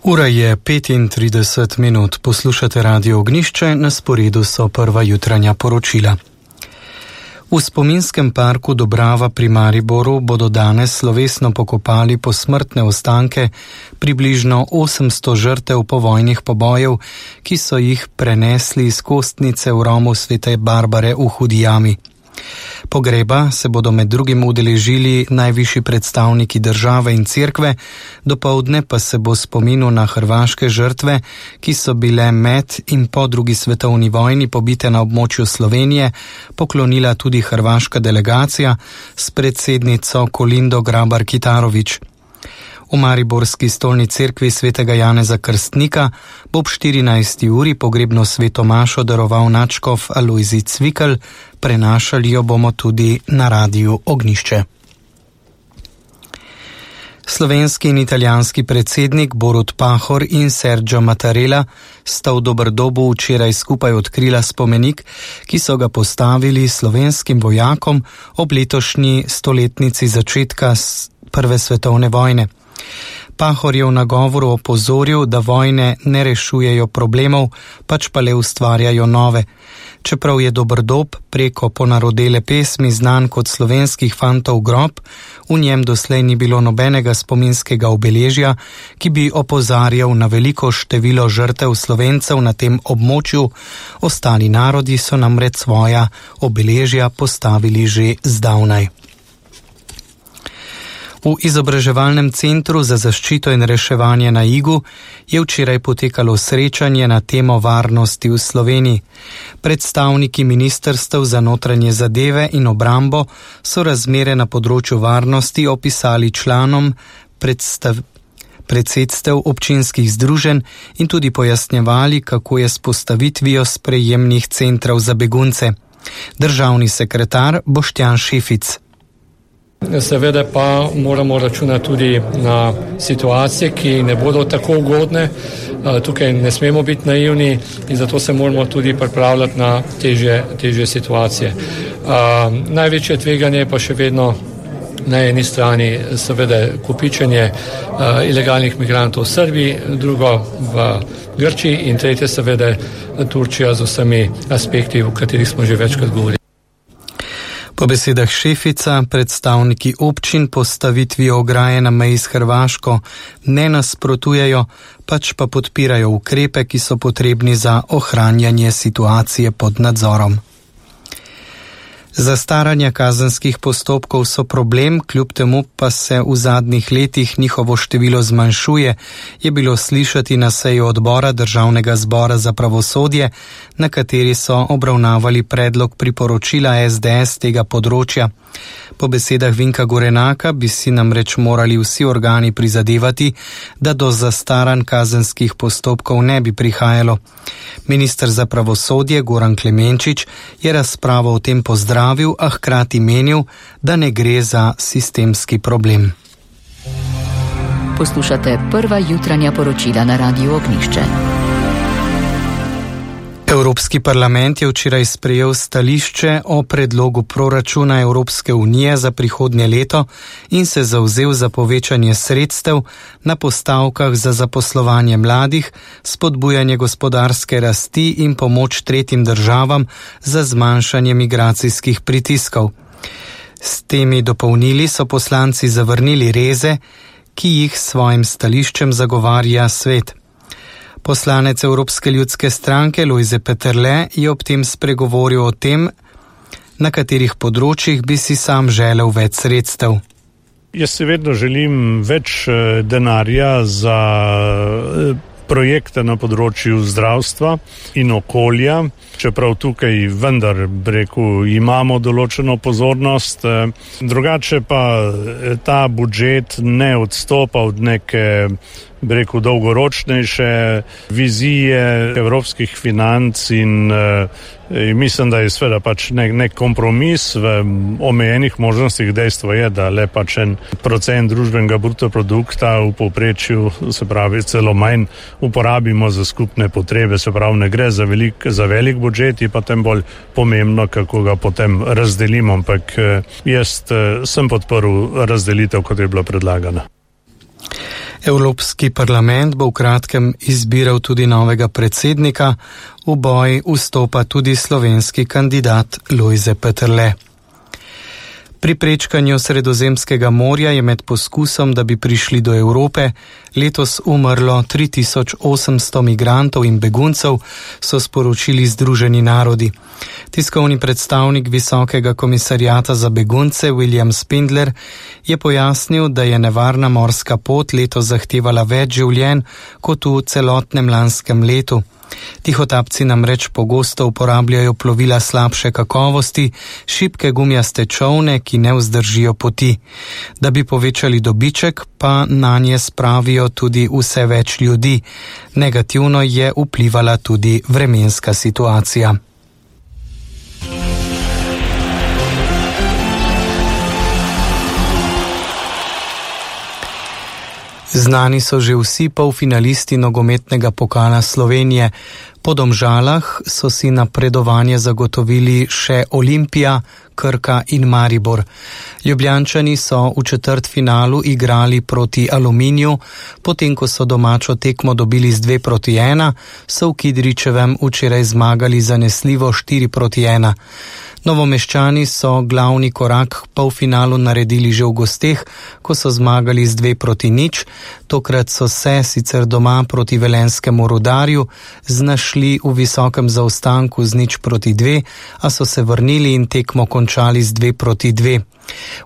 Ura je 35 minut, poslušate Radio Ognjišče, na sporedu so prva jutranja poročila. V spominskem parku Dobrava pri Mariboru bodo danes slovesno pokopali posmrtne ostanke približno 800 žrtev povojnih pobojev, ki so jih prenesli iz kostnice v Romu Svete Barbare v Hudi jami. Pogreba se bodo med drugim udeležili najvišji predstavniki države in cerkve, dopoldne pa se bo spominu na hrvaške žrtve, ki so bile med in po drugi svetovni vojni pobite na območju Slovenije, poklonila tudi hrvaška delegacija s predsednico Kolindo Grabar-Kitarović. V mariborski stolni cerkvi svetega Janeza Krstnika bo ob 14. uri pogrebno sveto mašo daroval nadškof Alojzij Cvikl, prenašali jo bomo tudi na Radiu Ognjišče. Slovenski in italijanski predsednik Borut Pahor in Sergio Mattarella sta v Doberdobu včeraj skupaj odkrila spomenik, ki so ga postavili slovenskim vojakom ob letošnji stoletnici začetka Prve svetovne vojne. Pahor je v nagovoru opozoril, da vojne ne rešujejo problemov, pač pa le ustvarjajo nove. Čeprav je Doberdob preko ponarodele pesmi znan kot slovenskih fantov grob, v njem doslej ni bilo nobenega spominskega obeležja, ki bi opozarjal na veliko število žrtev Slovencev na tem območju. Ostali narodi so namreč svoja obeležja postavili že zdavnaj. V izobraževalnem centru za zaščito in reševanje na Igu je včeraj potekalo srečanje na temo varnosti v Sloveniji. Predstavniki ministrstev za notranje zadeve in obrambo so razmere na področju varnosti opisali članom predsedstev občinskih združenj in tudi pojasnjevali, kako je s postavitvijo sprejemnih centrov za begunce. Državni sekretar Boštjan Šefic. Seveda pa moramo računati tudi na situacije, ki ne bodo tako ugodne. Tukaj ne smemo biti naivni in zato se moramo tudi pripravljati na težje situacije. Največje tveganje je pa še vedno na eni strani seveda kopičenje ilegalnih migrantov v Srbiji, drugo v Grčiji in tretje seveda Turčija z vsemi aspekti, o katerih smo že večkrat govorili. Po besedah Šefica predstavniki občin postavitvi ograje na meji s Hrvaško ne nasprotujejo, pač pa podpirajo ukrepe, ki so potrebni za ohranjanje situacije pod nadzorom. Zastaranja kazenskih postopkov so problem, kljub temu pa se v zadnjih letih njihovo število zmanjšuje, je bilo slišati na seji odbora Državnega zbora za pravosodje, na kateri so obravnavali predlog priporočila SDS tega področja. Po besedah Vinka Gorenaka bi si namreč morali vsi organi prizadevati, da do zastaranj kazenskih postopkov ne bi prihajalo. Minister za pravosodje Goran Klemenčič je razpravo o tem pozdravil, a hkrati menil, da ne gre za sistemski problem. Poslušate prva jutranja poročila na Radiu Ognjišče. Evropski parlament je včeraj sprejel stališče o predlogu proračuna Evropske unije za prihodnje leto in se zavzel za povečanje sredstev na postavkah za zaposlovanje mladih, spodbujanje gospodarske rasti in pomoč tretjim državam za zmanjšanje migracijskih pritiskov. S temi dopolnili so poslanci zavrnili reze, ki jih s svojim stališčem zagovarja svet. Poslanec Evropske ljudske stranke Lojze Peterle je ob tem spregovoril o tem, na katerih področjih bi si sam želel več sredstev. Jaz si vedno želim več denarja za projekte na področju zdravstva in okolja, čeprav tukaj vendar, imamo določeno pozornost. Drugače pa ta budžet ne odstopa od neke dolgoročnejše vizije evropskih financ in mislim, da je seveda pač nek kompromis v omejenih možnostih. Dejstvo je, da le pač 1% družbenega bruto produkta v povprečju, se pravi celo manj, uporabimo za skupne potrebe, se pravi ne gre za velik budžet, je pa tem bolj pomembno, kako ga potem razdelimo, ampak jaz sem podprl razdelitev, kot je bila predlagana. Evropski parlament bo v kratkem izbiral tudi novega predsednika, v boj vstopa tudi slovenski kandidat Lojze Peterle. Pri prečkanju Sredozemskega morja je med poskusom, da bi prišli do Evrope, letos umrlo 3800 migrantov in beguncev, so sporočili Združeni narodi. Tiskovni predstavnik Visokega komisariata za begunce William Spindler je pojasnil, da je nevarna morska pot letos zahtevala več življenj kot v celotnem lanskem letu. Tihotapci namreč pogosto uporabljajo plovila slabše kakovosti, šibke gumijaste čolne, ki ne vzdržijo poti. Da bi povečali dobiček, pa nanje spravijo tudi vse več ljudi. Negativno je vplivala tudi vremenska situacija. Znani so že vsi polfinalisti nogometnega pokala Slovenije. Po Domžalah so si napredovanje zagotovili še Olimpija, Krka in Maribor. Ljubljančani so v četrtfinalu igrali proti Aluminiju, potem ko so domačo tekmo dobili z 2-1, so v Kidričevem včeraj zmagali zanesljivo 4-1. Novomeščani so glavni korak k polfinalu naredili že v gosteh, ko so zmagali z 2-0. Tokrat so se sicer doma proti velenskemu Rudarju znašli v visokem zaostanku z 0-2, a so se vrnili in tekmo končali z 2-2.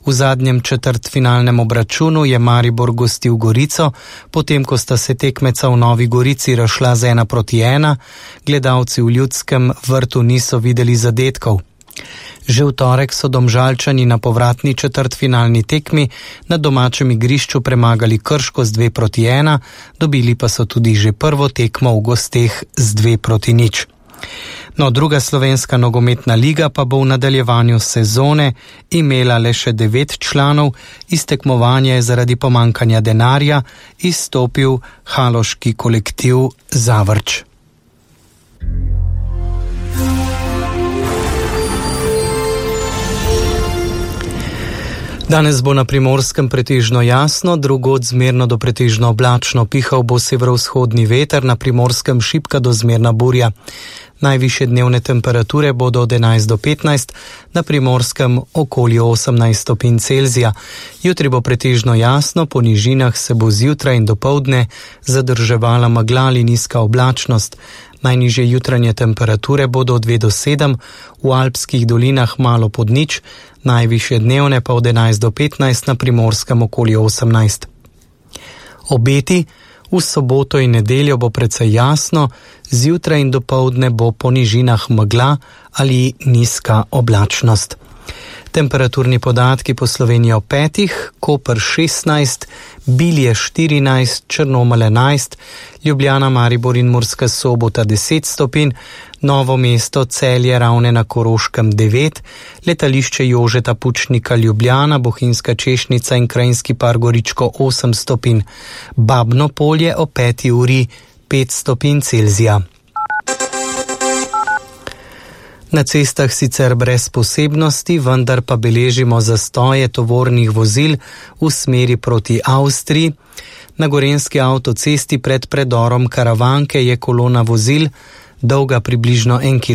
V zadnjem četrtfinalnem obračunu je Maribor gostil Gorico, potem ko sta se tekmeca v Novi Gorici razšla z 1-1, gledalci v Ljudskem vrtu niso videli zadetkov. Že v torek so Domžalčani na povratni četrtfinalni tekmi na domačem igrišču premagali Krško z 2-1, dobili pa so tudi že prvo tekmo v gosteh z 2-0. No, druga slovenska nogometna liga pa bo v nadaljevanju sezone imela le še 9 članov, iz tekmovanja je zaradi pomankanja denarja izstopil haloški kolektiv Zavrč. Danes bo na Primorskem pretežno jasno, drugod zmerno do pretežno oblačno, pihal bo severovzhodni veter, na Primorskem šibka do zmerna burja. Najvišje dnevne temperature bodo od 11 do 15, na Primorskem okoli 18 stopinj Celzija. Jutri bo pretežno jasno, po nižinah se bo zjutraj in dopoldne zadrževala megla ali nizka oblačnost. Najnižje jutranje temperature bodo od 2 do 7, v alpskih dolinah malo pod nič, najvišje dnevne pa od 11 do 15, na Primorskem okoli 18. Obeti: v soboto in nedeljo bo precej jasno, zjutraj in dopoldne bo po nižinah megla ali nizka oblačnost. Temperaturni podatki po Sloveniji o 5, Koper 16, Bilje 14, Črnomelj 11, Ljubljana, Maribor in Murska Sobota 10 stopinj, Novo mesto, Celje, Ravne na Koroškem 9, letališče Jožeta Pučnika Ljubljana, Bohinjska Češnica in Krajinski par Goričko 8 stopinj, Babno Polje o 5 uri 5 stopinj Celzija. Na cestah sicer brez posebnosti, vendar pa beležimo zastoje tovornih vozil v smeri proti Avstriji. Na gorenjski avtocesti pred predorom Karavanke je kolona vozil, dolga približno 1 km.